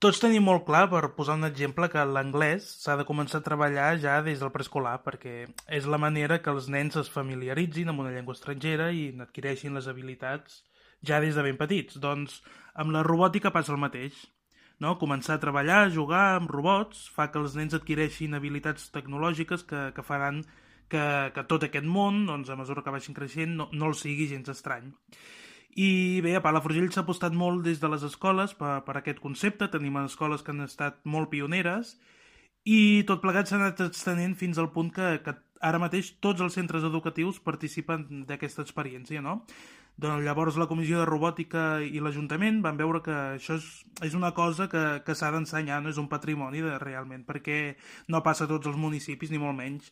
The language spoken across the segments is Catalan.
Tots tenim molt clar, per posar un exemple, que l'anglès s'ha de començar a treballar ja des del preescolar, perquè és la manera que els nens es familiaritzin amb una llengua estrangera i n'adquireixin les habilitats ja des de ben petits. Doncs amb la robòtica passa el mateix. No? Començar a treballar, a jugar amb robots, fa que els nens adquireixin habilitats tecnològiques que faran que tot aquest món, doncs, a mesura que vagin creixent, no els sigui gens estrany. I bé, a Palafrugell s'ha apostat molt des de les escoles per aquest concepte. Tenim escoles que han estat molt pioneres i tot plegat s'ha anat extenent fins al punt que ara mateix tots els centres educatius participen d'aquesta experiència, no? Doncs llavors la Comissió de Robòtica i l'Ajuntament van veure que això és una cosa que s'ha d'ensenyar, no és un patrimoni realment, perquè no passa a tots els municipis, ni molt menys.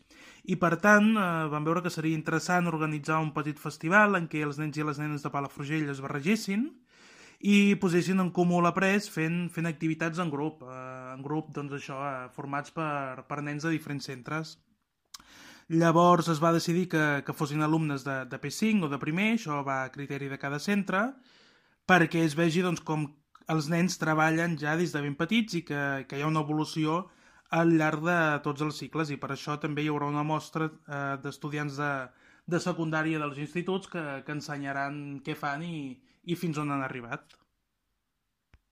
I per tant van veure que seria interessant organitzar un petit festival en què els nens i les nenes de Palafrugell es barregessin i posessin en comú l'après fent activitats en grup doncs això, formats per nens de diferents centres. Llavors es va decidir que fossin alumnes de P5 o de primer, això va a criteri de cada centre, perquè es vegi doncs, com els nens treballen ja des de ben petits i que hi ha una evolució al llarg de tots els cicles, i per això també hi haurà una mostra d'estudiants de secundària dels instituts que ensenyaran què fan i fins on han arribat.